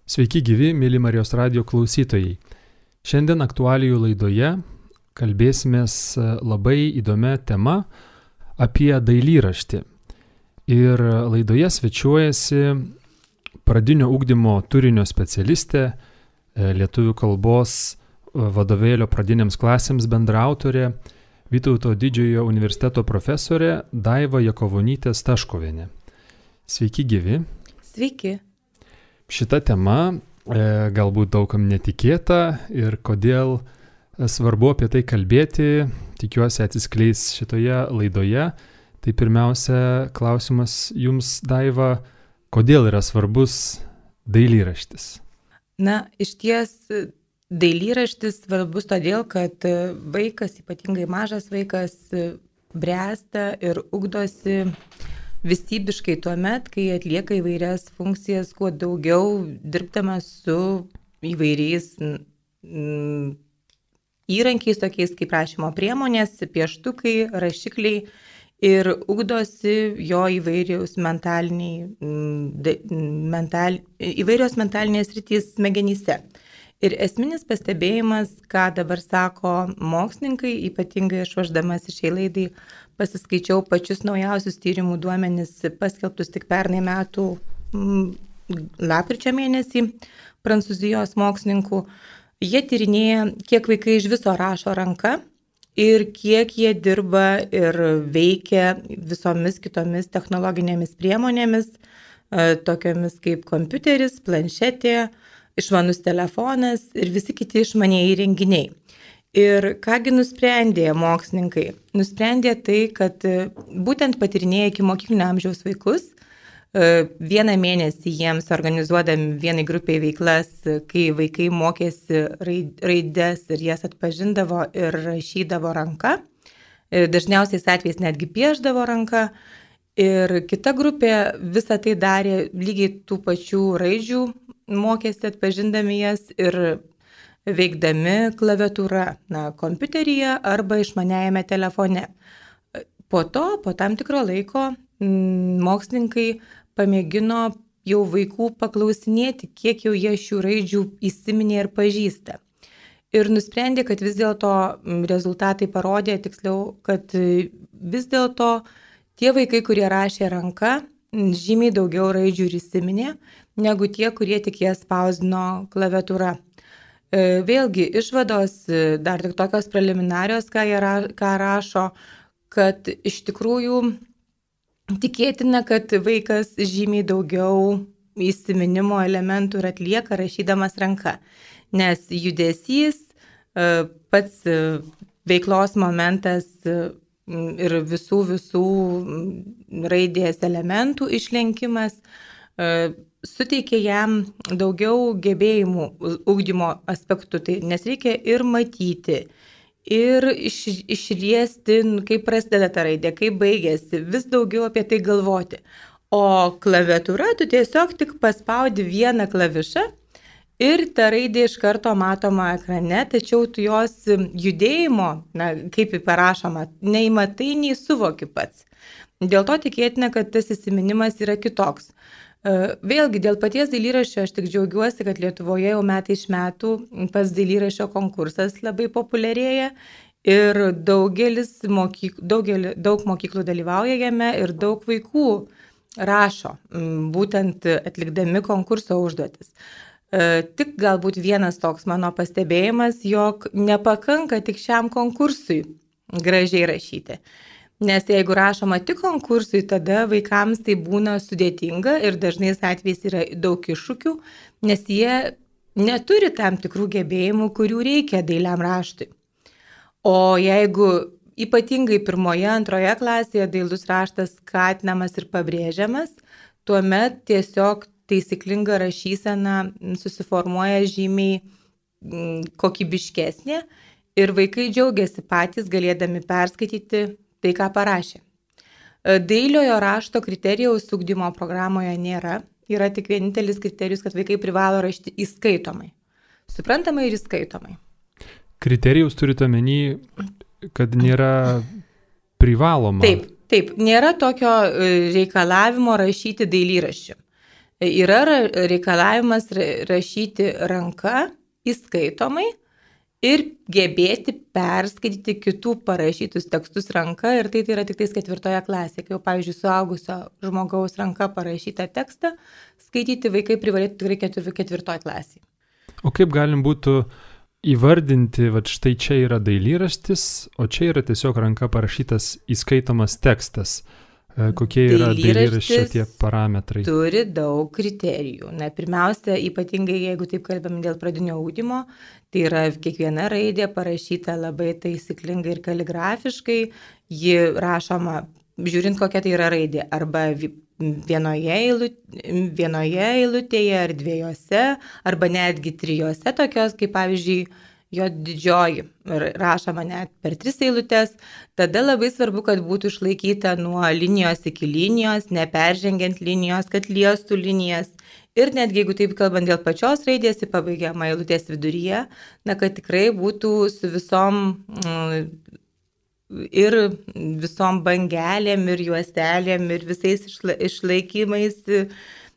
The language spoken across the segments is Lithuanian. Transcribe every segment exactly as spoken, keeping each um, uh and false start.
Sveiki gyvi, mėly Marijos radijo klausytojai. Šiandien aktualijų laidoje kalbėsimės labai įdomia tema apie dailyraštį. Ir laidoje svečiuojasi pradinio ugdymo turinio specialistė, lietuvių kalbos vadovėlio pradinėms klasėms bendraautorė, Vytauto Didžiojo universiteto profesorė Daiva Jakovonytė Staškovienė. Sveiki gyvi. Sveiki. Šita tema e, galbūt daugam netikėta ir kodėl svarbu apie tai kalbėti, tikiuosi atsiskleis šitoje laidoje. Tai pirmiausia, klausimas jums, Daiva, kodėl yra svarbus dailyraštis? Na, iš ties dailyraštis svarbus todėl, kad vaikas, ypatingai mažas vaikas, bręsta ir ugdosi visybiškai tuo met, kai atlieka įvairias funkcijas, kuo daugiau dirbdamas su įvairiais mm, įrankiais, tokiais kaip rašymo priemonės, pieštukai, rašikliai ir ugdosi jo įvairios mentaliniai, mental, įvairios mentalinės sritys smegenyse. Ir esminis pastebėjimas, ką dabar sako mokslininkai, ypatingai aš važdamas šiai laidai pasiskaičiau pačius naujausius tyrimų duomenis paskelbtus tik pernai metų lapkričio mėnesį Prancūzijos mokslininkų. Jie tyrinėja, kiek vaikai iš viso rašo ranka ir kiek jie dirba ir veikia visomis kitomis technologinėmis priemonėmis, tokiomis kaip kompiuteris, planšetė, išmanus telefonas ir visi kiti išmanieji įrenginiai. Ir kągi nusprendė mokslininkai? Nusprendė tai, kad būtent patyrinėję iki mokyklinio amžiaus vaikus, vieną mėnesį jiems organizuodami vienai grupiai veiklas, kai vaikai mokėsi raides ir jas atpažindavo ir rašydavo ranka, dažniausiais atvejais netgi pieždavo ranka, ir kita grupė visą tai darė lygiai tų pačių raidžių, mokėsi atpažindami jas ir veikdami klaviatūra, na, kompiuteryje arba išmaniajame telefone. Po to, po tam tikro laiko, m, mokslininkai pamėgino jau vaikų paklausinėti, kiek jau jie šių raidžių įsiminė ir pažįsta. Ir nusprendė, kad vis dėlto rezultatai parodė, tiksliau, kad vis dėlto tie vaikai, kurie rašė ranka, žymiai daugiau raidžių ir įsiminė, negu tie, kurie tik jas spausdino klaviatūra. Vėlgi, išvados dar tik tokios preliminarios, ką, jie ra, ką rašo, kad iš tikrųjų tikėtina, kad vaikas žymiai daugiau įsiminimo elementų ir atlieka rašydamas ranka, nes judesys, pats veiklos momentas ir visų visų raidės elementų išlenkimas suteikia jam daugiau gebėjimų ugdymo aspektų, tai, nes reikia ir matyti, ir iš, išriesti, kaip prasideda ta raidė, kaip baigėsi, vis daugiau apie tai galvoti. O klaviatūra, tu tiesiog tik paspaudi vieną klavišą ir ta raidė iš karto matoma ekrane, tačiau tu jos judėjimo, na, kaip parašoma, nei matai, nei suvoki pats. Dėl to tikėtina, kad tas įsiminimas yra kitoks. Vėlgi, dėl paties dailyraščio aš tik džiaugiuosi, kad Lietuvoje jau metai iš metų pats dailyraščio konkursas labai populiarėja ir daugelis mokyk, daugelį, daug mokyklų dalyvauja jame ir daug vaikų rašo, būtent atlikdami konkurso užduotis. Tik galbūt vienas toks mano pastebėjimas, jog nepakanka tik šiam konkursui gražiai rašyti. Nes jeigu rašoma tik konkursui, tada vaikams tai būna sudėtinga ir dažnais atvejais yra daug iššūkių, nes jie neturi tam tikrų gebėjimų, kurių reikia dailiam raštui. O jeigu ypatingai pirmoje, antroje klasėje dailus raštas skatinamas ir pabrėžiamas, tuomet tiesiog taisyklinga rašysena susiformuoja žymiai kokybiškesnė ir vaikai džiaugiasi patys galėdami perskaityti tai, ką parašė. Dailiojo rašto kriterijaus ugdymo programoje nėra. Yra tik vienintelis kriterijus, kad vaikai privalo rašyti įskaitomai. Suprantamai ir įskaitomai. Kriterijus turite omeny, kad nėra privaloma. Taip, taip. Nėra tokio reikalavimo rašyti dailyraščių. Yra reikalavimas rašyti ranka įskaitomai ir gebėti perskaityti kitų parašytus tekstus ranka, ir tai, tai yra tik tais ketvirtoje klasėje, kai jau, pavyzdžiui, suaugusio žmogaus ranka parašytą tekstą skaityti vaikai privalėtų tikrai ketvir, ketvirtoje klasėje. O kaip galim būtų įvardinti, va štai čia yra dailyraštis, o čia yra tiesiog ranka parašytas įskaitomas tekstas? Kokie yra dailyraščio tie parametrai? Turi daug kriterijų. Na, pirmiausia, ypatingai jeigu taip kalbam dėl pradinio ugdymo, tai yra kiekviena raidė parašyta labai taisyklingai ir kaligrafiškai, ji rašoma, žiūrint kokia tai yra raidė, arba vienoje, eilutėje, vienoje eilutėje ar dviejose, arba netgi trijose tokios, kaip pavyzdžiui, jo didžioji rašoma net per tris eilutes, tada labai svarbu, kad būtų išlaikyta nuo linijos iki linijos, neperžengiant linijos, kad liestų linijas. Ir netgi jeigu taip kalbant dėl pačios raidės, į pabaigiamą eilutės viduryje, na, kad tikrai būtų su visom ir visom bangelėm, ir juostelėm, ir visais išla, išlaikymais.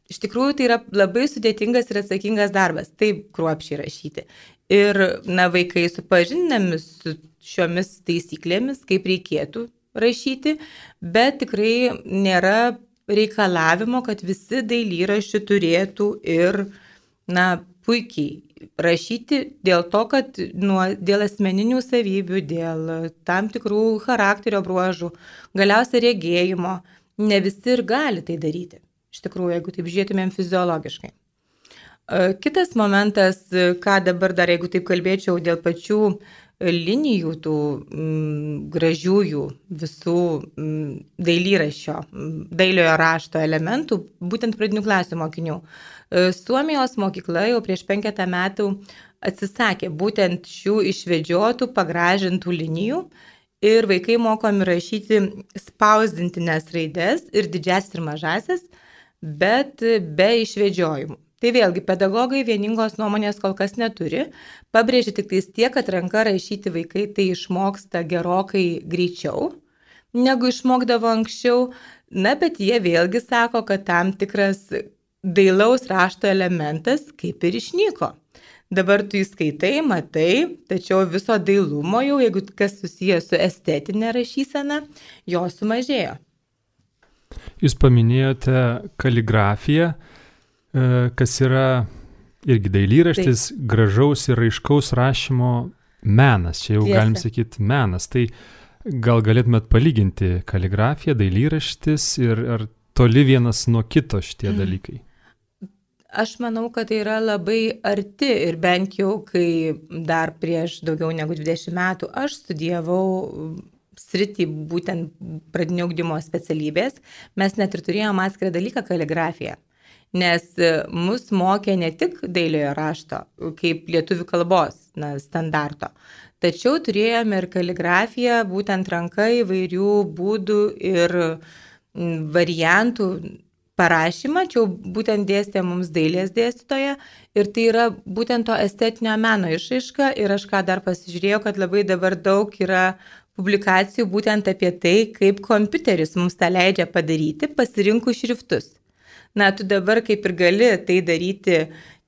Iš tikrųjų, tai yra labai sudėtingas ir atsakingas darbas, taip kruopščiai rašyti. Ir, na, vaikai supažindinami su šiomis taisyklėmis, kaip reikėtų rašyti, bet tikrai nėra reikalavimo, kad visi dailyraščiai turėtų ir, na, puikiai rašyti dėl to, kad nuo, dėl asmeninių savybių, dėl tam tikrų charakterio bruožų, galiausiai regėjimo, ne visi ir gali tai daryti. Iš tikrųjų, jeigu taip žiūrėtumėm fiziologiškai. Kitas momentas, ką dabar dar, jeigu taip kalbėčiau, dėl pačių linijų, tų m, gražiųjų visų m, dailyraščio, dailiojo rašto elementų, būtent pradinių klasių mokinių. Suomijos mokykla jau prieš penketą metų atsisakė būtent šių išvedžiotų, pagražintų linijų ir vaikai mokomi rašyti spausdintinės raides ir didžiasias ir mažasias, bet be išvedžiojimų. Tai vėlgi, pedagogai vieningos nuomonės kol kas neturi, pabrėžia tik tais tiek, kad ranka rašyti vaikai tai išmoksta gerokai greičiau, negu išmokdavo anksčiau, na, bet jie vėlgi sako, kad tam tikras dailaus rašto elementas kaip ir išnyko. Dabar tu įskaitai, matai, tačiau viso dailumo jau, jeigu kas susijęs su estetinė rašysena, jo sumažėjo. Jūs paminėjote kaligrafiją, kas yra irgi dailyraštis, taip, gražaus ir raiškaus rašymo menas. Čia jau Tiesa. Galim sakyti menas. Tai gal galėtumėt palyginti kaligrafiją, dailyraštis ir ar toli vienas nuo kito šitie dalykai? Aš manau, kad tai yra labai arti ir bent jau, kai dar prieš daugiau negu dvidešimt metų aš studijavau sritį būtent pradinio ugdymo specialybės, mes net ir turėjome atskirą dalyką kaligrafiją. Nes mus mokė ne tik dailiojo rašto, kaip lietuvių kalbos na, standarto, tačiau turėjome ir kaligrafiją, būtent ranka įvairių būdų ir variantų parašymą, čia būtent dėstė mums dailės dėstytoja ir tai yra būtent to estetinio meno išraiška ir aš ką dar pasižiūrėjau, kad labai dabar daug yra publikacijų būtent apie tai, kaip kompiuteris mums tą leidžia padaryti, pasirinkus šriftus. Na, tu dabar kaip ir gali tai daryti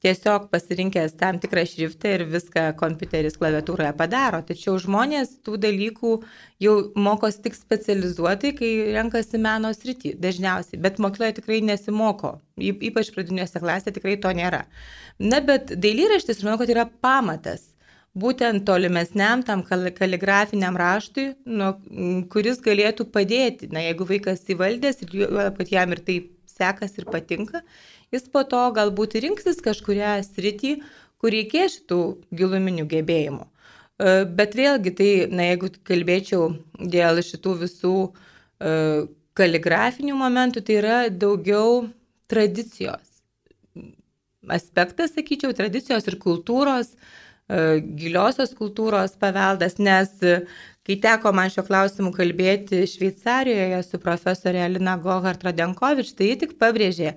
tiesiog pasirinkęs tam tikrą šriftą ir viską kompiuteris klaviatūroje padaro. Tačiau žmonės tų dalykų jau mokosi tik specializuotai, kai renkasi meno sritį dažniausiai, bet mokykloje tikrai nesimoko, ypač pradinėse klasėse tikrai to nėra. Na, bet dailyraštis, manau, kad yra pamatas. Būtent tolimesniam tam kaligrafiniam raštui, nu, kuris galėtų padėti, na, jeigu vaikas įvaldęs ir kad jam ir taip sekas ir patinka, jis po to galbūt rinksis kažkurią sritį, kur reikės šitų giluminių gebėjimų. Bet vėlgi, tai, na, jeigu kalbėčiau dėl šitų visų kaligrafinių momentų, tai yra daugiau tradicijos aspektas, sakyčiau, tradicijos ir kultūros, giliosios kultūros paveldas, nes kai teko man šio klausimu kalbėti Šveicarijoje su profesorė Alina Gohart-Radenkovič, tai ji tik pabrėžė,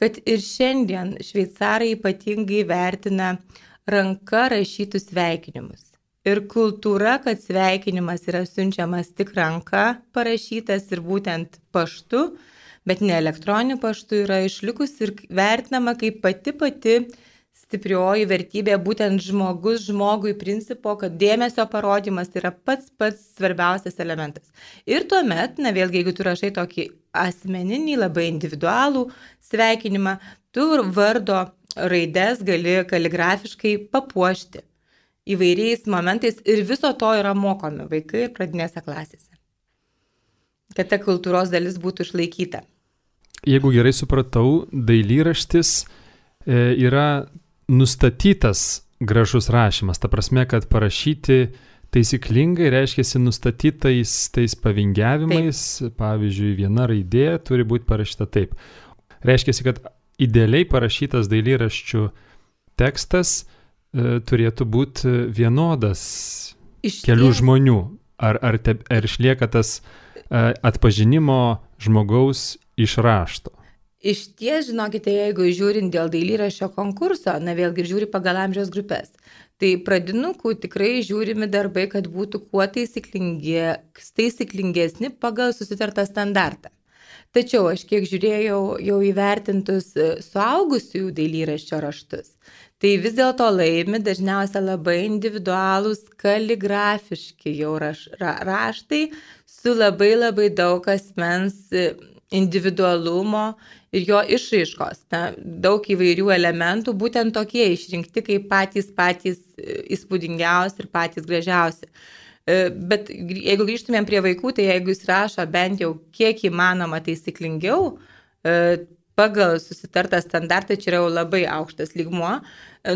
kad ir šiandien šveicarai ypatingai vertina ranka rašytus sveikinimus. Ir kultūra, kad sveikinimas yra siunčiamas tik ranka parašytas ir būtent paštu, bet ne elektroniniu paštu yra išlikusi ir vertinama kaip pati pati stiprioji vertybė, būtent žmogus žmogui principo, kad dėmesio parodymas yra pats pats svarbiausias elementas. Ir tuomet, na vėlgi, jeigu tu rašai tokį asmeninį, labai individualų sveikinimą, tu vardo raides gali kaligrafiškai papuošti įvairiais momentais ir viso to yra mokomi vaikai ir pradinėse klasėse, kad ta kultūros dalis būtų išlaikyta. Jeigu gerai supratau, dailyraštis e, yra nustatytas gražus rašymas, ta prasme, kad parašyti taisyklingai reiškiasi nustatytais tais pavingiavimais, taip. Pavyzdžiui, viena raidė turi būti parašyta taip. Reiškiasi, kad idealiai parašytas dailyraščių tekstas e, turėtų būti vienodas Iš kelių ties... žmonių. Ar, ar, te, ar išlieka tas e, atpažinimo žmogaus iš rašto? Iš ties, žinokite, jeigu žiūrint dėl dailyraščio konkurso, na vėlgi žiūri pagal amžiaus grupės, tai pradinukų tikrai žiūrimi darbai, kad būtų kuo taisyklingesni pagal susitartą standartą. Tačiau aš kiek žiūrėjau jau įvertintus suaugusiųjų dailyraščio raštus, tai vis dėlto laimi dažniausiai labai individualūs kaligrafiški jau raš, ra, raštai su labai labai daug asmens individualumo ir jo išraiškos. Na, daug įvairių elementų, būtent tokie išrinkti kaip patys patys įspūdingiausi ir patys gražiausi. Bet jeigu grįžtumėm prie vaikų, tai jeigu jis rašo bent jau kiek įmanoma taisyklingiau, pagal susitartą standartą, čia yra jau labai aukštas lygmuo,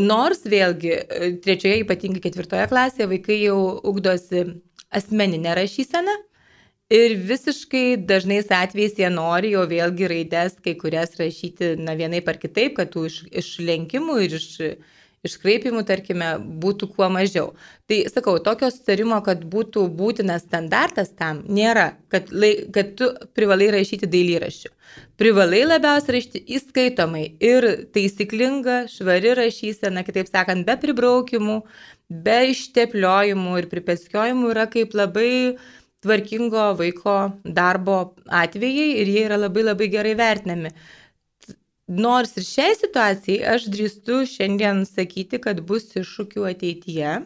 nors vėlgi trečioje, ypatingai ketvirtoje klasėje, vaikai jau ugdosi asmeninę rašyseną, ir visiškai dažnais atvejais jie nori jau vėlgi raides kai kurias rašyti na vienaip ar kitaip, kad tų iš, išlenkimų ir iš, iškraipimų, tarkime, būtų kuo mažiau. Tai sakau, tokio sutarimo, kad būtų būtinas standartas tam, nėra, kad, lai, kad tu privalai rašyti dailyraščių. Privalai labiausiai rašyti įskaitomai ir taisyklinga, švari rašysena, kitaip sakant, be pribraukimų, be ištepliojimų ir pripeskiojimų yra kaip labai tvarkingo vaiko darbo atvejai ir jie yra labai labai gerai vertinami. Nors ir šiai situacijai aš drįstu šiandien sakyti, kad bus iššūkių ateityje,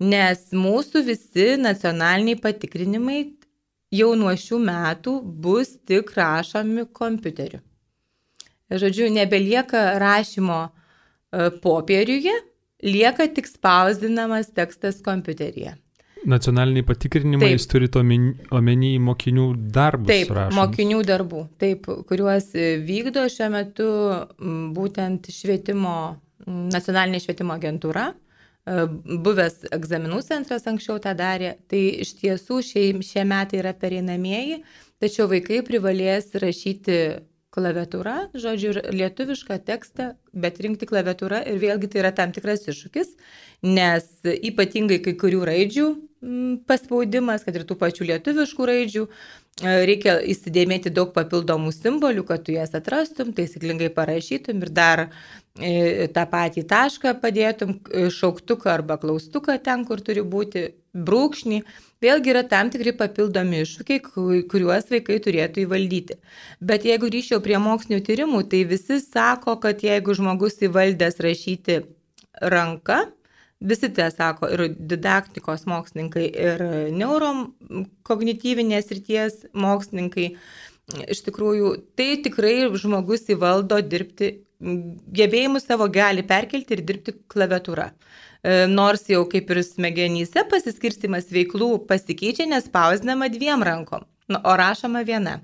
nes mūsų visi nacionaliniai patikrinimai jau nuo šių metų bus tik rašomi kompiuteriu. Žodžiu, nebelieka rašymo popieriuje, lieka tik spausdinamas tekstas kompiuteryje. Nacionaliniai patikrinimai, jūs turite omeny mokinių darbus taip, rašomus. Taip, mokinių darbų, taip, kuriuos vykdo šiuo metu būtent švietimo, nacionalinė švietimo agentūra, buvęs egzaminų centras anksčiau tą darė, tai iš tiesų šie, šie metai yra pereinamieji, tačiau vaikai privalės rašyti klaviatūra, žodžiu, lietuvišką tekstą, bet rinkti klaviatūra ir vėlgi tai yra tam tikras iššūkis, nes ypatingai kai kurių raidžių paspaudimas, kad ir tų pačių lietuviškų raidžių, reikia įsidėmėti daug papildomų simbolių, kad tu jas atrastum, taisyklingai parašytum ir dar tą patį tašką padėtum, šauktuką arba klaustuką ten, kur turi būti, brūkšnį. Vėlgi yra tam tikri papildomi iššūkiai, kuriuos vaikai turėtų įvaldyti. Bet jeigu grįžčiau prie mokslinių tyrimų, tai visi sako, kad jeigu žmogus įvaldęs rašyti ranka, visi tai sako, ir didaktikos mokslininkai, ir neurokognityvinės srities mokslininkai, iš tikrųjų, tai tikrai žmogus įvaldo dirbti, gebėjimus savo gali perkelti ir dirbti klaviatūra. Nors jau kaip ir smegenyse pasiskirstimas veiklų pasikeičia, nes spausdinama dviem rankom, o rašoma viena.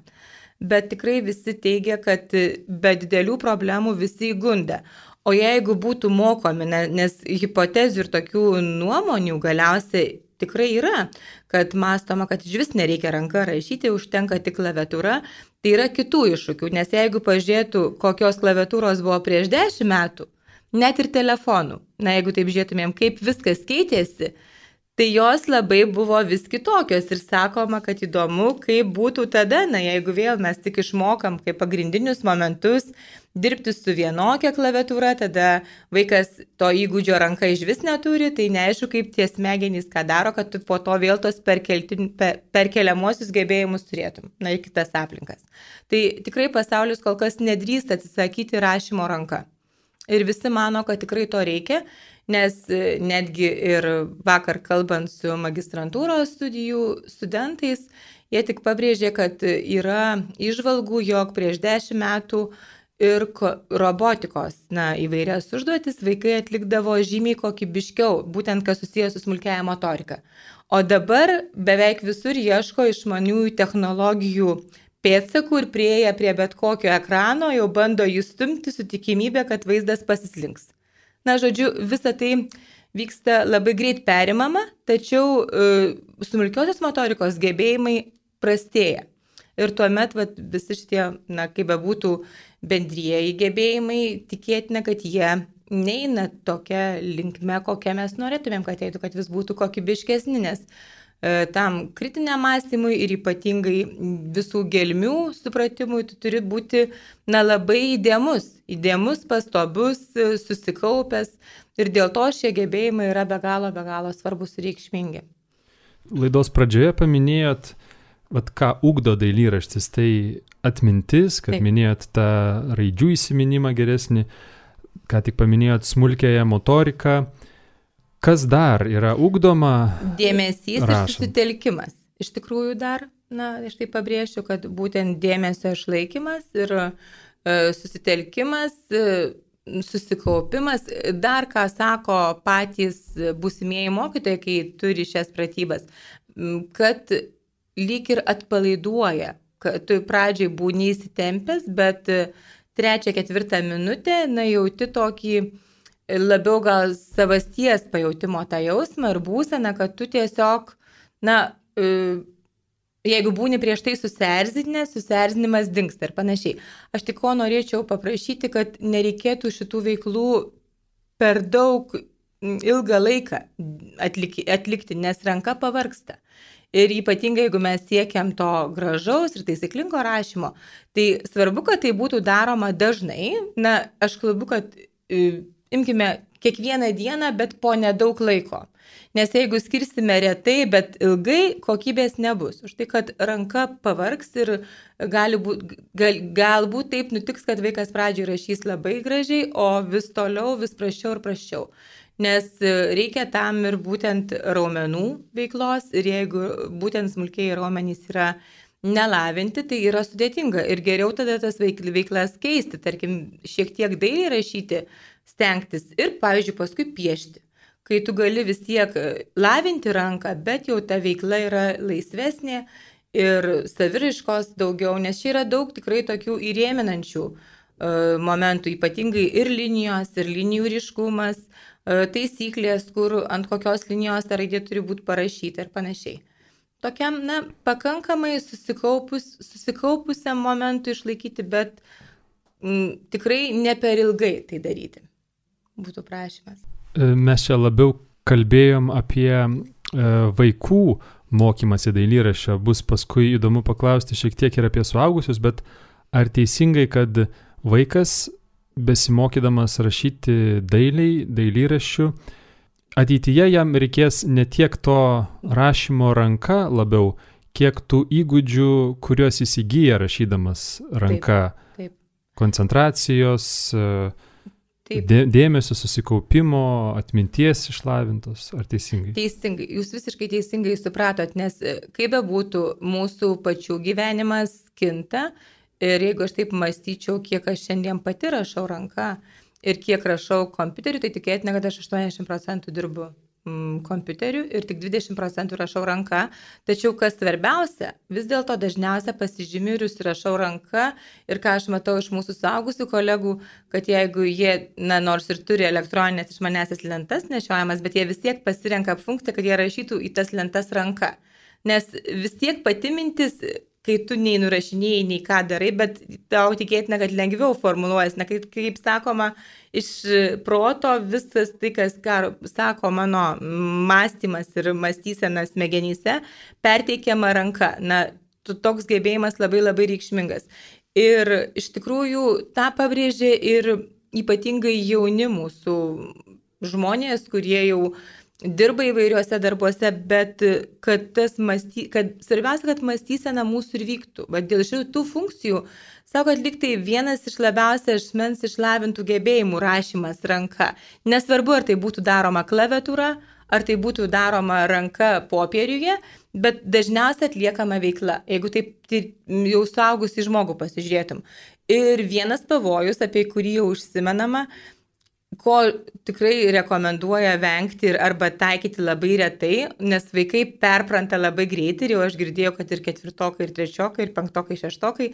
Bet tikrai visi teigia, kad be didelių problemų visi įgunda. O jeigu būtų mokomi, nes hipotezių ir tokių nuomonių galiausiai tikrai yra, kad mąstoma, kad iš vis nereikia ranka rašyti, užtenka tik klaviatūra, tai yra kitų iššūkių, nes jeigu pažiūrėtų, kokios klaviatūros buvo prieš dešimt metų, net ir telefonų, na jeigu taip žiūrėtumėm, kaip viskas keitėsi, tai jos labai buvo vis kitokios ir sakoma, kad įdomu, kaip būtų tada, na jeigu vėl mes tik išmokam kaip pagrindinius momentus, dirbti su vienokia klaviatūra, tada vaikas to įgūdžio ranka iš vis neturi, tai neaišku, kaip tie smegenys ką daro, kad tu po to vėl tos perkelti, per, perkeliamuosius gebėjimus turėtum, na, į kitas aplinkas. Tai tikrai pasaulis kol kas nedrįsta atsisakyti rašymo ranka. Ir visi mano, kad tikrai to reikia, nes netgi ir vakar kalbant su magistrantūros studijų studentais, jie tik pabrėžė, kad yra įžvalgų, jog prieš dešimt metų ir robotikos, na, įvairias užduotis vaikai atlikdavo žymiai kokybiškiau, būtent kas susijęs su smulkiaja motorika. O dabar beveik visur ieško išmaniųjų technologijų pėdsakų ir prieėję prie bet kokio ekrano jau bando jį stumti su tikimybė, kad vaizdas pasislinks. Na, žodžiu, visa tai vyksta labai greit perimama, tačiau e, smulkiosios motorikos gebėjimai prastėja. Ir tuomet vat, visi šitie, na, kaip bebūtų bendrieji gebėjimai, tikėtina, kad jie neina tokia linkme, kokią mes norėtumėm, kad eitų, kad vis būtų kokybiškesni, nes e, tam kritiniam mąstymui ir ypatingai visų gelmių supratimui tu turi būti, na, labai įdėmus, įdėmus, pastabus, susikaupęs ir dėl to šie gebėjimai yra be galo, be galo svarbus ir reikšmingi. Laidos pradžioje paminėjot, vat, ką ugdo dailyraštis, tai atmintis, kad Taip. Minėjot tą raidžių įsiminimą geresnį, ką tik paminėjot smulkiąją motoriką. Kas dar yra ugdoma? Dėmesys rašant. Ir susitelkimas. Iš tikrųjų dar, na, aš tai pabrėšiu, kad būtent dėmesio išlaikymas ir e, susitelkimas, e, susikaupimas, dar ką sako patys būsimieji mokytojai, kai turi šias pratybas, kad lyg ir atpalaiduoja, kad tu pradžiai būni įsitempęs, bet trečią, ketvirtą minutę, na, jauti tokį labiau gal savasties pajautimo tą jausmą ir būseną, kad tu tiesiog, na, jeigu būni prieš tai susierzinęs, susierzinimas dingsta ir panašiai. Aš tik ko norėčiau paprašyti, kad nereikėtų šitų veiklų per daug ilgą laiką atlikti, atlikti, nes ranka pavargsta. Ir ypatingai, jeigu mes siekiam to gražaus ir taisyklingo rašymo, tai svarbu, kad tai būtų daroma dažnai. Na, aš kalbu, kad imkime kiekvieną dieną, bet po nedaug laiko. Nes jeigu skirsime retai, bet ilgai, kokybės nebus. Už tai, kad ranka pavargs ir gali būt, gal, galbūt taip nutiks, kad vaikas pradžiai rašys labai gražiai, o vis toliau, vis prasčiau ir prasčiau. Nes reikia tam ir būtent raumenų veiklos ir jeigu būtent smulkiai raumenys yra nelavinti, tai yra sudėtinga ir geriau tada tas veiklas keisti, tarkim, šiek tiek dailiai rašyti, stengtis ir, pavyzdžiui, paskui piešti. Kai tu gali vis tiek lavinti ranką, bet jau ta veikla yra laisvesnė ir saviraiškos daugiau, nes čia yra daug tikrai tokių įrėminančių uh, momentų, ypatingai ir linijos, ir linijų ryškumas, uh, taisyklės, kur ant kokios linijos ta raidė turi būti parašyta ir panašiai. Tokiam, na, pakankamai susikaupus, susikaupusiam momentui išlaikyti, bet m, tikrai ne per ilgai tai daryti. Būtų prašymas. Mes čia labiau kalbėjom apie e, vaikų mokymasi dailyraščio. Bus paskui įdomu paklausti šiek tiek ir apie suaugusius, bet ar teisingai, kad vaikas besimokydamas rašyti dailiai, dailyraščių, ateityje jam reikės ne tiek to rašymo ranka labiau, kiek tų įgūdžių, kuriuos jis įgyja rašydamas ranka. Taip, taip. Koncentracijos, dė, dėmesio, susikaupimo, atminties išlavintos, ar teisingai? Teisingai, jūs visiškai teisingai supratot, nes kaip bebūtų, mūsų pačių gyvenimas kinta ir jeigu aš taip mąstyčiau, kiek aš šiandien pati rašau ranka ir kiek rašau kompiuteriu, tai tikėtina, kad aš aštuoniasdešimt procentų dirbu mm, kompiuteriu ir tik dvidešimt procentų rašau ranka. Tačiau kas svarbiausia, vis dėlto dažniausia pasižymiu ir užsirašau ranka ir ką aš matau iš mūsų suaugusių kolegų, kad jeigu jie, na, nors ir turi elektroninės išmanesias lentas nešiojamas, bet jie vis tiek pasirenka funkciją, kad jie rašytų į tas lentas ranka. Nes vis tiek pati mintis, kai tu nei nurašinėjai, nei ką darai, bet tau tikėtina, kad lengviau formuluojas. Na, kaip, kaip sakoma, iš proto visas tai, kas ką, sako mano mąstymas ir mąstysena smegenyse, perteikiama ranka. Na, toks gebėjimas labai labai reikšmingas. Ir iš tikrųjų tą pabrėžė ir ypatingai jauni mūsų žmonės, kurie jau dirba įvairiuose darbuose, bet kad, tas masty, kad svarbiausia, kad mąstysena mūsų ir vyktų. Bet dėl šitų funkcijų, sako, atliktai vienas iš labiausiai asmens išlavintų gebėjimų rašymas ranka. Nesvarbu, ar tai būtų daroma klaviatūra, ar tai būtų daroma ranka popieriuje, bet dažniausiai atliekama veikla, jeigu taip tai jau suaugusį žmogų pasižiūrėtum. Ir vienas pavojus, apie kurį jau užsimenama, ko tikrai rekomenduoja vengti ir arba taikyti labai retai, nes vaikai perpranta labai greitai ir jau aš girdėjau, kad ir ketvirtokai, ir trečiokai, ir penktokai, šeštokai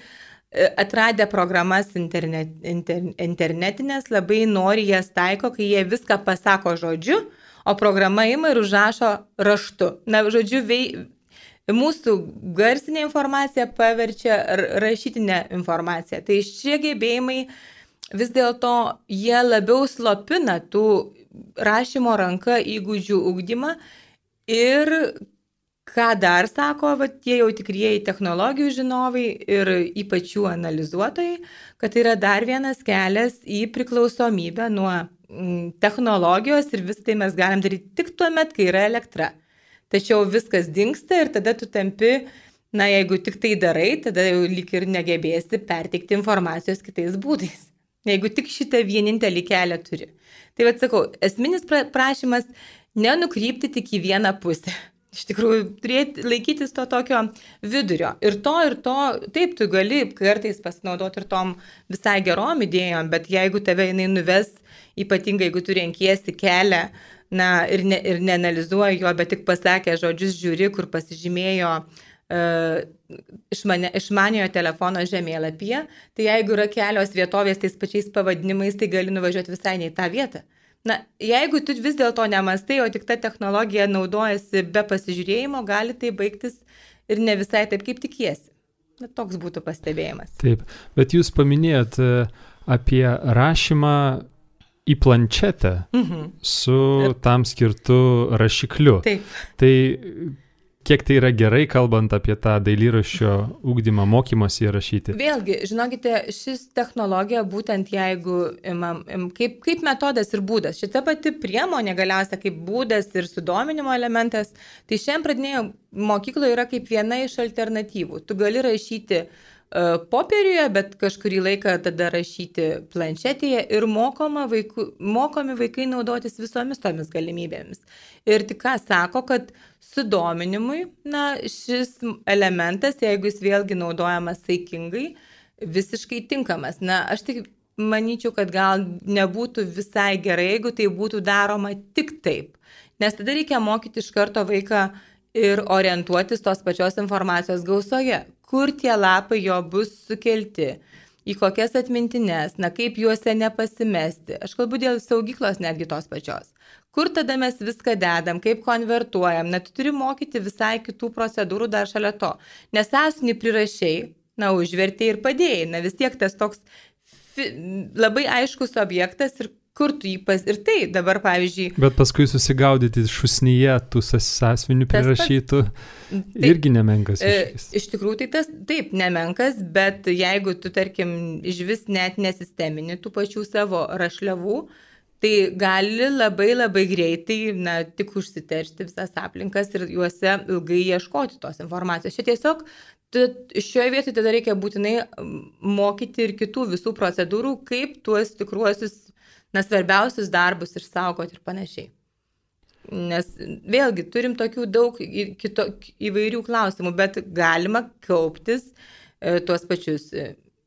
atradę programas internet, inter, internetinės, labai nori jas taiko, kai jie viską pasako žodžiu, o programa ima ir užrašo raštu. Na, žodžiu, vei, mūsų garsinė informacija paverčia rašytinę informaciją. Tai šie gebėjimai vis dėlto jie labiau slopina tų rašymo ranka įgūdžių ugdymą ir ką dar sako, va, tie jau tikrieji technologijų žinovai ir ypač jų analizuotojai, kad yra dar vienas kelias į priklausomybę nuo technologijos ir visą tai mes galim daryti tik tuo met, kai yra elektra. Tačiau viskas dingsta ir tada tu tampi, na, jeigu tik tai darai, tada jau lyg ir negebėsi perteikti informacijos kitais būdais. Jeigu tik šitą vienintelį kelią turi. Tai vad sakau, esminis prašymas nenukrypti tik į vieną pusę. Iš tikrųjų, turėti, laikytis to tokio vidurio. Ir to, ir to, taip, tu gali kartais pasinaudoti ir tom visai gerom idėjom, bet jeigu tave jinai nuves, ypatingai jeigu tu renkiesi kelią, na, ir, ne, ir neanalizuoji jo, bet tik pasakė žodžius žiūri, kur pasižymėjo uh, išmane, išmaniojo telefono žemėlapyje, tai jeigu yra kelios vietovės tais pačiais pavadinimais, tai gali nuvažiuoti visai ne į tą vietą. Na, jeigu tu vis dėlto nemastai, o tik ta technologija naudojasi be pasižiūrėjimo, gali tai baigtis ir ne visai taip, kaip tikiesi. Na, toks būtų pastebėjimas. Taip, bet jūs paminėjot apie rašymą į planšetę mhm. su tam skirtu rašikliu. Taip. Tai kiek tai yra gerai, kalbant apie tą dailyraščio ugdymą, mokymąsi rašyti? Vėlgi, žinokite, šis technologija būtent jeigu imam, im, kaip, kaip metodas ir būdas, šita pati priemonė galiausiai kaip būdas ir sudominimo elementas, tai šiandien pradinėje mokykloje yra kaip viena iš alternatyvų. Tu gali rašyti uh, popieriuje, bet kažkurį laiką tada rašyti planšetėje ir mokoma vaikų, mokomi vaikai naudotis visomis tomis galimybėmis. Ir tik ką sako, kad sudominimui, na, šis elementas, jeigu jis vėlgi naudojamas saikingai, visiškai tinkamas. Na, aš tik manyčiau, kad gal nebūtų visai gerai, jeigu tai būtų daroma tik taip. Nes tada reikia mokyti iš karto vaiką ir orientuotis tos pačios informacijos gausoje, kur tie lapai jo bus sukelti, į kokias atmintines, na, kaip juose nepasimesti. Aš kalbu dėl saugyklos netgi tos pačios. Kur tada mes viską dedam, kaip konvertuojam, na, tu turi mokyti visai kitų procedūrų dar šalia to. Nes esmį prirašiai, na, užvertėjai ir padėjai, na, vis tiek tas toks fi, labai aiškus objektas ir kur tu jį pas... Ir tai dabar, pavyzdžiui... Bet paskui susigaudyti šusnyje tų sąsvinių prirašytų pas... irgi nemenkas iššūkis. Iš tikrųjų, tai tas taip nemenkas, bet jeigu tu, tarkim, iš vis net nesistemini tų pačių savo rašliavų, tai gali labai labai greitai, na, tik užsiteršti visas aplinkas ir juose ilgai ieškoti tos informacijos. Čia tiesiog šioje vietoje tada reikia būtinai mokyti ir kitų visų procedūrų, kaip tuos tikruosius, na, svarbiausius darbus išsaugoti ir panašiai. Nes vėlgi turim tokių daug kito, įvairių klausimų, bet galima kauptis e, tuos pačius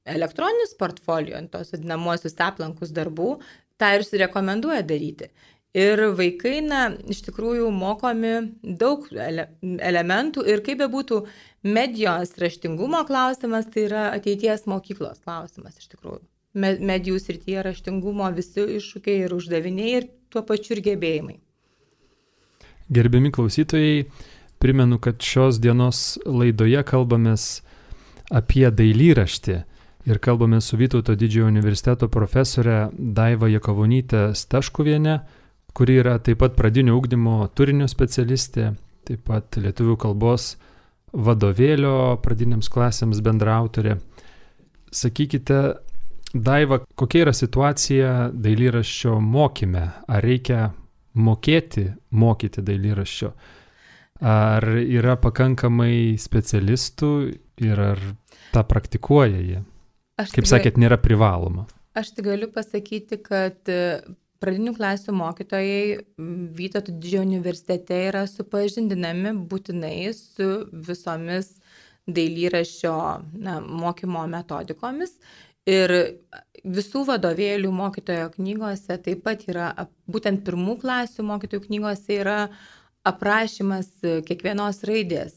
elektroninius portfolio, tos vadinamosius aplankus darbų, tą ir rekomenduoja daryti. Ir vaikai, na, iš tikrųjų mokomi daug ele, elementų ir kaip bebūtų medijos raštingumo klausimas, tai yra ateities mokyklos klausimas iš tikrųjų. Medijų srityje raštingumo visi iššūkiai ir uždaviniai ir tuo pačiu ir gebėjimai. Gerbiami klausytojai, primenu, kad šios dienos laidoje kalbamės apie dailyraštį ir kalbame su Vytauto Didžiojo universiteto profesorė Daiva Jakavonytė Staškuvienė, kuri yra taip pat pradinio ugdymo turinio specialistė, taip pat lietuvių kalbos vadovėlio pradinėms klasėms bendraautorė. sakykite, Daiva, kokia yra situacija dailyraščio mokyme? Ar reikia mokėti mokyti dailyraščio? Ar yra pakankamai specialistų ir ar tą praktikuoja jie? Aš Kaip tik, sakėt, nėra privaloma. Aš tik galiu pasakyti, kad pradinių klasių mokytojai Vytauto Didžiojo universitete yra supažindinami būtinai su visomis dailyraščio na, mokymo metodikomis. Ir visų vadovėlių mokytojo knygose taip pat yra, būtent pirmų klasių mokytojų knygose yra aprašymas kiekvienos raidės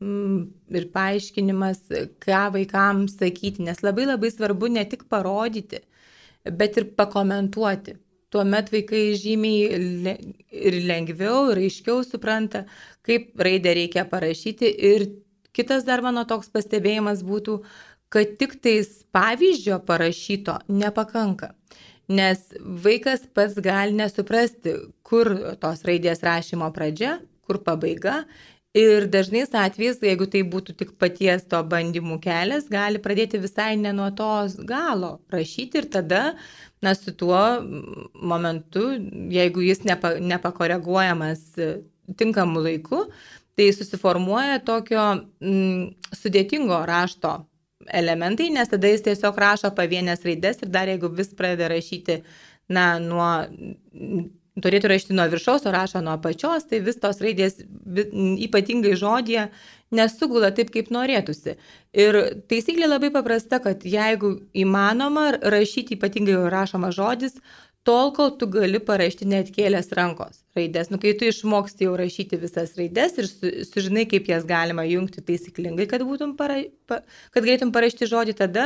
ir paaiškinimas, ką vaikams sakyti, nes labai labai svarbu ne tik parodyti, bet ir pakomentuoti. Tuomet vaikai žymiai ir lengviau, ir aiškiau supranta, kaip raidę reikia parašyti. Ir kitas dar mano toks pastebėjimas būtų, kad tik tais pavyzdžio parašyto nepakanka. Nes vaikas pats gali nesuprasti, kur tos raidės rašymo pradžia, kur pabaiga. Ir dažnais atvejais, jeigu tai būtų tik paties to bandymų kelias, gali pradėti visai ne nuo tos galo rašyti ir tada, na, su tuo momentu, jeigu jis nepa, nepakoreguojamas tinkamu laiku, tai susiformuoja tokio mm, sudėtingo rašto elementai, nes tada jis tiesiog rašo pavienės raidės ir dar jeigu vis pradeda rašyti, na, nuo, turėtų rašyti nuo viršaus, o rašo nuo apačios, tai vis tos raidės ypatingai žodėje nesugula taip, kaip norėtųsi. Ir taisyklė labai paprasta, kad jeigu įmanoma rašyti ypatingai rašoma žodis, tol, kol tu gali parašyti net kėlės rankos raidės. Nu, kai tu išmoksti jau rašyti visas raidės ir su, sužinai, kaip jas galima jungti taisyklingai, kad, būtum para, pa, kad galėtum parašyti žodį, tada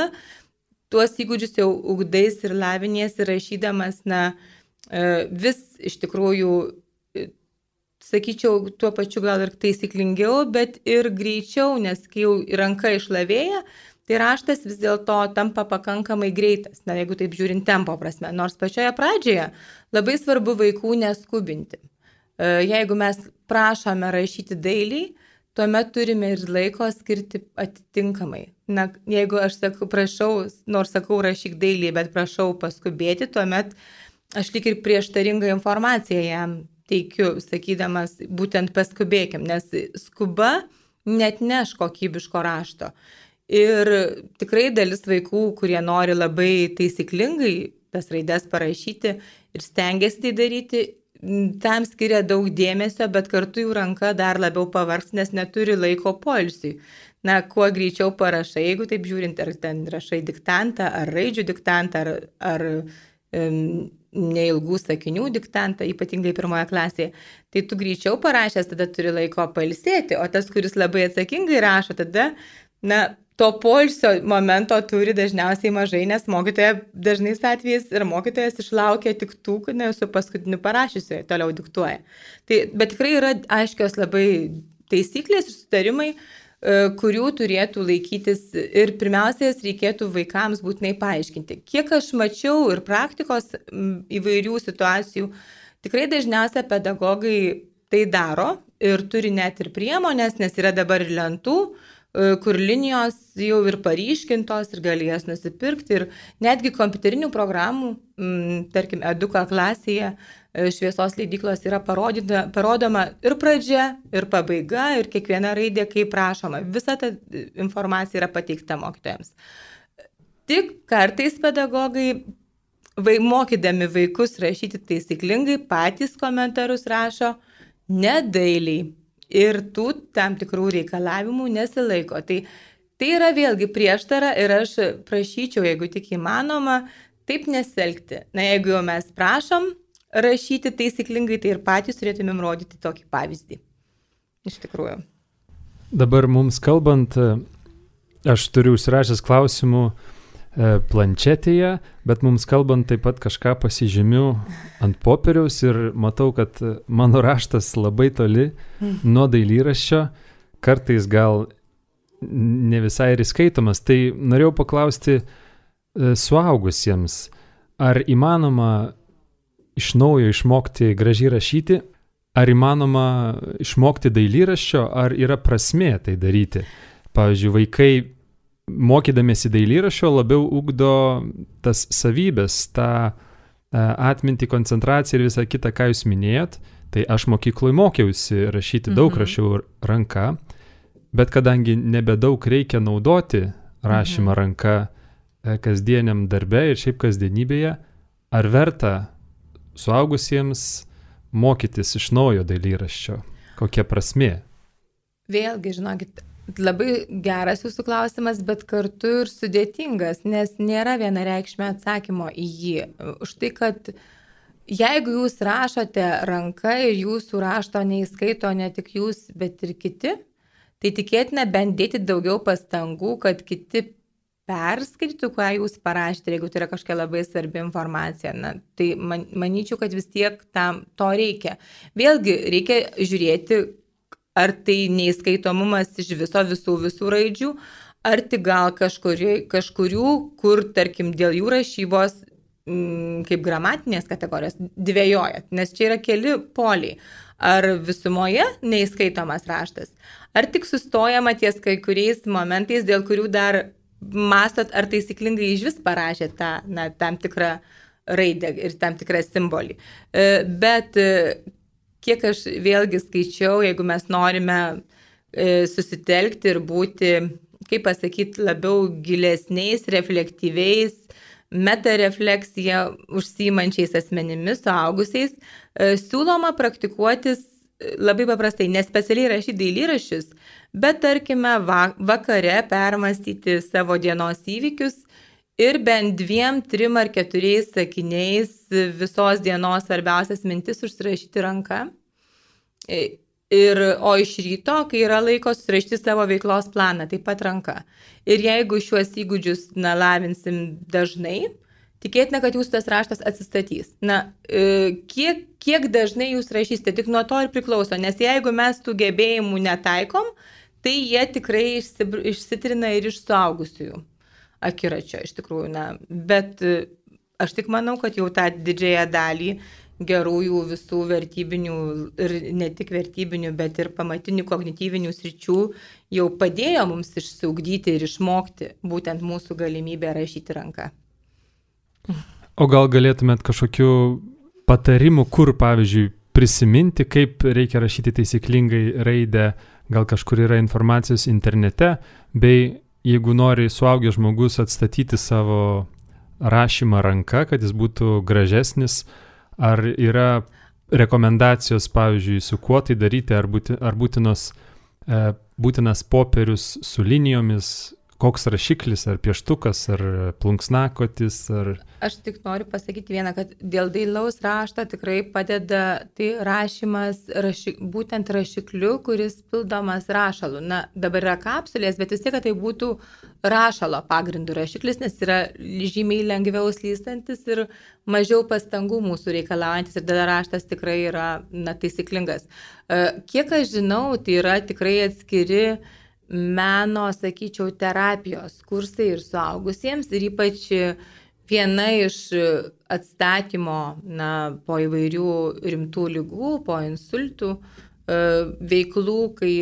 tuos įgūdžius jau ugdais ir laviniesi rašydamas, na, vis iš tikrųjų, sakyčiau, tuo pačiu gal ir taisyklingiau, bet ir greičiau, nes kai jau ranka išlavėja, tai raštas vis dėlto tampa pakankamai greitas, na, jeigu taip žiūrint tempo prasme. Nors pačioje pradžioje labai svarbu vaikų neskubinti. Jeigu mes prašome rašyti dailiai, tuomet turime ir laiko skirti atitinkamai. Na, jeigu aš sakau, prašau, nors sakau rašyk dailiai, bet prašau paskubėti, tuomet aš lyg ir prieštaringą informaciją jam teikiu, sakydamas, būtent paskubėkim, nes skuba net neš kokybiško rašto. Ir tikrai dalis vaikų, kurie nori labai taisyklingai tas raides parašyti ir stengiasi tai daryti, tam skiria daug dėmesio, bet kartu jų ranka dar labiau pavargs, nes neturi laiko poilsiui. Na, kuo greičiau parašai, jeigu taip žiūrint, ar ten rašai diktantą, ar raidžių diktantą, ar, ar um, neilgų sakinių diktantą, ypatingai pirmoje klasėje, tai tu greičiau parašęs, tada turi laiko pailsėti, o tas, kuris labai atsakingai rašo, tada, na, to poilsio momento turi dažniausiai mažai, nes mokytoja dažnais atvejais ir mokytojas išlaukia tik tų, kad ne su paskutiniu parašysiu, toliau diktuoja. Tai, bet tikrai yra aiškios labai taisyklės ir sutarimai, kurių turėtų laikytis ir pirmiausias reikėtų vaikams būtinai paaiškinti. Kiek aš mačiau ir praktikos įvairių situacijų, tikrai dažniausiai pedagogai tai daro ir turi net ir priemonės, nes yra dabar ir lentų, kur linijos jau ir paryškintos ir gali jas nusipirkti ir netgi kompiuterinių programų, tarkim, Eduka klasėje šviesos leidyklos yra parodyta, parodoma ir pradžia, ir pabaiga, ir kiekviena raidė, kaip prašoma. Visa ta informacija yra pateikta mokytojams. Tik kartais pedagogai, vai, mokydami vaikus rašyti taisyklingai, patys komentarus rašo nedailiai. Ir tų tam tikrų reikalavimų nesilaiko. Tai, tai yra vėlgi prieštara ir aš prašyčiau, jeigu tik įmanoma, taip nesielgti. Na, jeigu jau mes prašom rašyti taisyklingai, tai ir patys turėtumėm rodyti tokį pavyzdį. Iš tikrųjų. Dabar mums kalbant, aš turiu užsirašęs klausimų planšetėje, bet mums kalbant taip pat kažką pasižymiu ant popieriaus ir matau, kad mano raštas labai toli nuo dailyraščio, kartais gal ne visai ir įskaitomas. Tai norėjau paklausti suaugusiems, ar įmanoma iš naujo išmokti gražiai rašyti, ar įmanoma išmokti dailyraščio, ar yra prasmė tai daryti. Pavyzdžiui, vaikai mokydamėsi dailyraščio labiau ugdo tas savybės, tą atmintį, koncentraciją ir visą kitą, ką jūs minėjot. Tai aš mokykloje mokiausi rašyti, daug mhm. rašiau ranka, bet kadangi nebedaug reikia naudoti rašymą mhm. ranka kasdieniam darbe ir šiaip kasdienybėje, ar verta suaugusiems mokytis iš naujo dailyraščio? Kokia prasmė? Vėlgi, žinokit, labai geras jūsų klausimas, bet kartu ir sudėtingas, nes nėra vienareikšmio atsakymo į jį. Už tai, kad jeigu jūs rašote ranka ir jūsų rašto neįskaito ne tik jūs, bet ir kiti, tai tikėtina bent dėti daugiau pastangų, kad kiti perskaitytų, ką jūs parašėte, jeigu tai yra kažkokia labai svarbi informacija. Na, tai man, manyčiau, kad vis tiek tam to reikia. Vėlgi reikia žiūrėti, ar tai neįskaitomumas iš viso visų visų raidžių, ar tik gal kažkurių, kažkurių kur, tarkim, dėl jų rašybos m, kaip gramatinės kategorijos dvejojat, nes čia yra keli poliai. Ar visumoje neįskaitomas raštas, ar tik sustojama ties kai kuriais momentais, dėl kurių dar mąstot, ar taisyklingai iš vis parašėt tą, na, tam tikrą raidę ir tam tikrą simbolį. Bet kiek aš vėlgi skaičiau, jeigu mes norime e, susitelkti ir būti, kaip pasakyti, labiau gilesniais, reflektyviais, metarefleksija užsiimančiais asmenimis, suaugusiais, e, siūloma praktikuotis labai paprastai, nespecialiai rašyti dailyraščius, bet tarkime va, vakare permastyti savo dienos įvykius ir bent dviem, trim ar keturiais sakiniais visos dienos svarbiausias mintis užsirašyti ranka. Ir, o iš ryto, kai yra laiko, susirašyti savo veiklos planą, taip pat ranka. Ir jeigu šiuos įgūdžius na, lavinsim dažnai, tikėtina, kad jūsų tas raštas atsistatys. Na, kiek, kiek dažnai jūs rašysite, tik nuo to ir priklauso, nes jeigu mes tų gebėjimų netaikom, tai jie tikrai išsitrina ir iš suaugusiųjų akiračio, iš tikrųjų, na, bet aš tik manau, kad jau tą didžiąją dalį gerųjų visų vertybinių ir ne tik vertybinių, bet ir pamatinių kognityvinių sričių jau padėjo mums išsiugdyti ir išmokti būtent mūsų galimybę rašyti ranką. O gal galėtumėt kažkokių patarimų, kur, pavyzdžiui, prisiminti, kaip reikia rašyti taisyklingai raidę, gal kažkur yra informacijos internete, bei jeigu nori suaugęs žmogus atstatyti savo rašymą ranka, kad jis būtų gražesnis, ar yra rekomendacijos, pavyzdžiui, su kuo tai daryti, ar, būti, ar būtinos, e, būtinas popierius su linijomis, koks rašiklis, ar pieštukas, ar plunksnakotis, ar... Aš tik noriu pasakyti vieną, kad dėl dailaus rašto tikrai padeda tai rašymas raši, būtent rašikliu, kuris pildomas rašalu. Na, dabar yra kapsulės, bet vis tiek, kad tai būtų rašalo pagrindų rašiklis, nes yra žymiai lengviau slystantis ir mažiau pastangų mūsų reikalaujantis ir tada raštas tikrai yra na, taisyklingas. Kiek aš žinau, tai yra tikrai atskiri meno, sakyčiau, terapijos kursai ir suaugusiems ir ypač viena iš atstatymo na, po įvairių rimtų ligų, po insultų veiklų, kai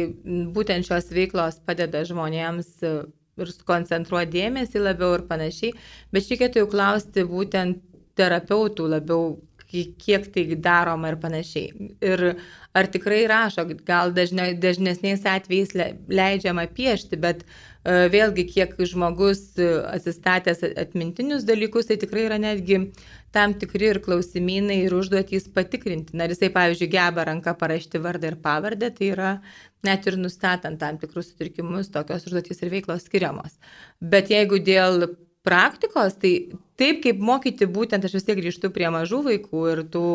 būtent šios veiklos padeda žmonėms ir koncentruoti dėmesį labiau ir panašiai, bet reikėtų jau klausti būtent terapeutų labiau, kiek tai daroma ir panašiai. Ir ar tikrai rašo, gal dažne, dažnesniais atvejais leidžiama piešti, bet uh, vėlgi kiek žmogus atsistatęs atmintinius dalykus, tai tikrai yra netgi tam tikri ir klausimynai ir užduotys patikrinti. Na, jisai, pavyzdžiui, geba ranka parašyti vardą ir pavardę, tai yra net ir nustatant tam tikrus sutrikimus, tokios užduotys ir veiklos skiriamos. Bet jeigu dėl praktikos, tai taip kaip mokyti būtent, aš vis tiek grįžtu prie mažų vaikų ir tų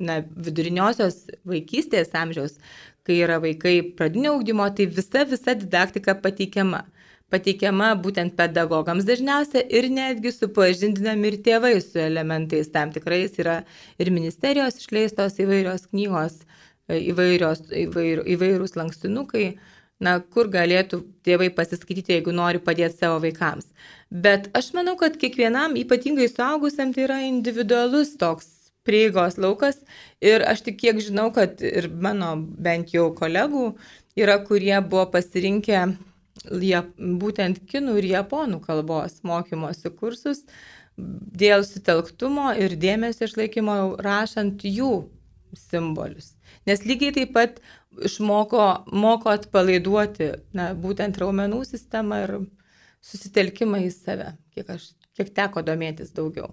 na, viduriniosios vaikystės amžiaus, kai yra vaikai pradinio ugdymo, tai visa, visa didaktika pateikiama. Pateikiama būtent pedagogams dažniausia ir netgi supažindinami ir tėvai su elementais tam tikrais. Yra ir ministerijos išleistos įvairios knygos, įvairios, įvair, įvairūs lankstinukai, na, kur galėtų tėvai pasiskaityti, jeigu nori padėti savo vaikams. Bet aš manau, kad kiekvienam, ypatingai suaugusiam, tai yra individualus toks prieigos laukas ir aš tik kiek žinau, kad ir mano bent jau kolegų yra, kurie buvo pasirinkę būtent kinų ir japonų kalbos mokymosi kursus dėl sutelktumo ir dėmesio išlaikymo rašant jų simbolius. Nes lygiai taip pat išmoko moko atpalaiduoti na, būtent raumenų sistemą ir susitelkimą į save, kiek, aš, kiek teko domėtis daugiau.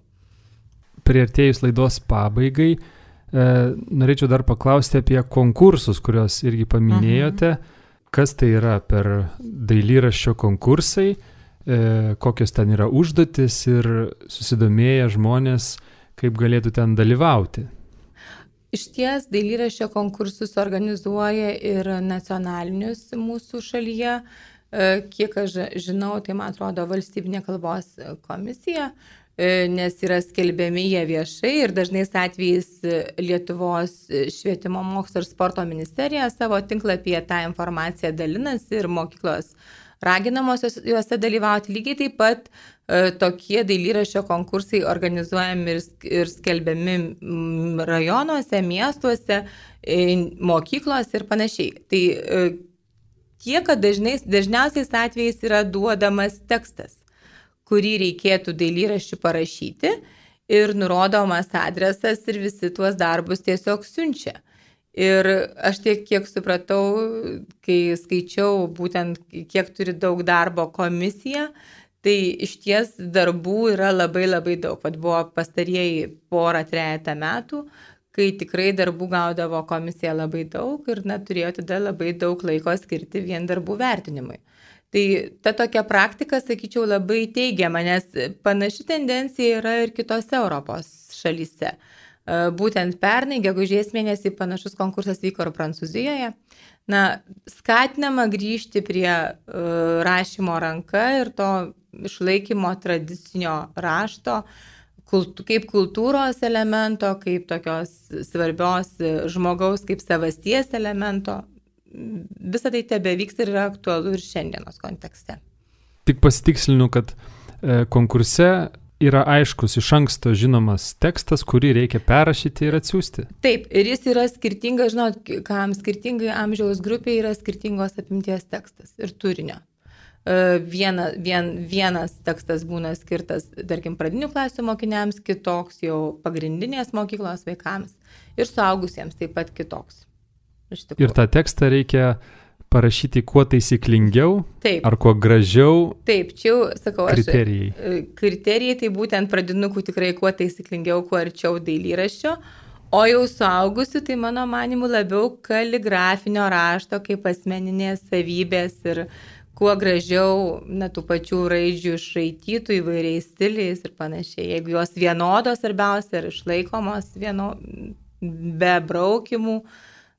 Priartėjus laidos pabaigai, e, norėčiau dar paklausti apie konkursus, kuriuos irgi paminėjote. Mhm. Kas tai yra per dailyraščio konkursai, e, kokios ten yra užduotis ir susidomėję žmonės, kaip galėtų ten dalyvauti. Išties dailyraščio konkursus organizuoja ir nacionalinius mūsų šalyje. Kiek aš žinau, tai man atrodo valstybinė kalbos komisija, nes yra skelbiami jie viešai ir dažnais atvejais Lietuvos švietimo mokslo ir sporto ministerija savo tinklapyje tą informaciją dalinasi ir mokyklos raginamos juose dalyvauti. Lygiai taip pat tokie dailyraščio konkursai organizuojami ir skelbiami rajonuose, miestuose, mokyklose ir panašiai. Tai tiek, kad dažnais, dažniausiais atvejais yra duodamas tekstas, kurį reikėtų dailyraščių parašyti ir nurodomas adresas ir visi tuos darbus tiesiog siunčia. Ir aš tiek, kiek supratau, kai skaičiau būtent, kiek turi daug darbo komisija, tai iš ties darbų yra labai labai daug. Vat buvo pastarieji porą trejetą metų, kai tikrai darbų gaudavo komisija labai daug ir na, turėjo tada labai daug laiko skirti vien darbų vertinimui. Tai ta tokia praktika, sakyčiau, labai teigiama, nes panaši tendencija yra ir kitose Europos šalyse. Būtent pernai, gegužės mėnesį, panašus konkursas vyko ir Prancūzijoje. Na, skatinama grįžti prie uh, rašymo ranka ir to išlaikymo tradicinio rašto kultu, kaip kultūros elemento, kaip tokios svarbios žmogaus, kaip savasties elemento. Visą tai tebevyksta ir yra aktualu ir šiandienos kontekste. Tik pasitikslinu, kad e, konkurse yra aiškus iš anksto žinomas tekstas, kurį reikia perrašyti ir atsiųsti. Taip, ir jis yra skirtingas, žinot, kam skirtingai amžiaus grupiai yra skirtingos apimties tekstas ir turinio. Viena, vien, vienas tekstas būna skirtas, tarkim, pradinių klasių mokiniams, kitoks jau pagrindinės mokyklos vaikams ir suaugusiems taip pat kitoks. Ir tą tekstą reikia parašyti kuo taisyklingiau, taip, ar kuo gražiau. Taip, čia jau, sakau, kriterijai. Aš, kriterijai tai būtent pradinukų tikrai kuo taisyklingiau, kuo arčiau dailyraščio, o jau suaugusių tai mano manimu labiau kaligrafinio rašto kaip asmeninės savybės ir kuo gražiau na, tų pačių raidžių išraitytų įvairiais stiliais ir panašiai. Jeigu jos vienodos svarbiausia ir išlaikomos vieno, be braukimų,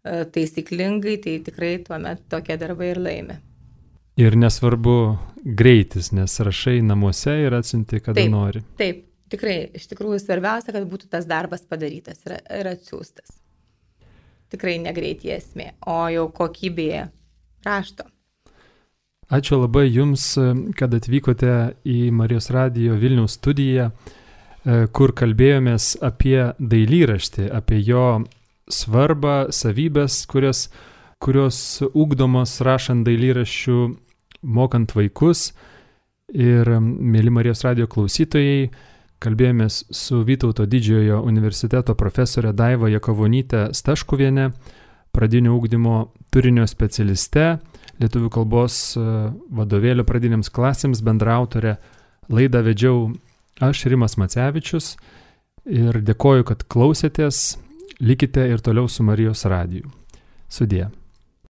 taisyklingai, tai tikrai tuomet tokie darbai ir laimi. Ir nesvarbu greitis, nes rašai namuose ir atsiunti, kada taip, nori. Taip, tikrai, iš tikrųjų svarbiausia, kad būtų tas darbas padarytas ir, ir atsiųstas. Tikrai negreitį esmė, o jau kokybėje rašto. Ačiū labai Jums, kad atvykote į Marijos radijo Vilniaus studiją, kur kalbėjomės apie dailyraštį, apie jo svarbą, savybės, kurios, kurios ugdomos rašant dailyraščių, mokant vaikus. Ir, mėly Marijos radijo klausytojai, kalbėjomės su Vytauto didžiojo universiteto profesorė Daiva Jakavonyte Staškuviene, pradinio ugdymo turinio specialiste, lietuvių kalbos vadovėlio pradinėms klasėms bendraautorė. Laidą vedžiau aš, Rimas Macevičius, ir dėkoju, kad klausėtės. Likite ir toliau su Marijos radiju. Sudie.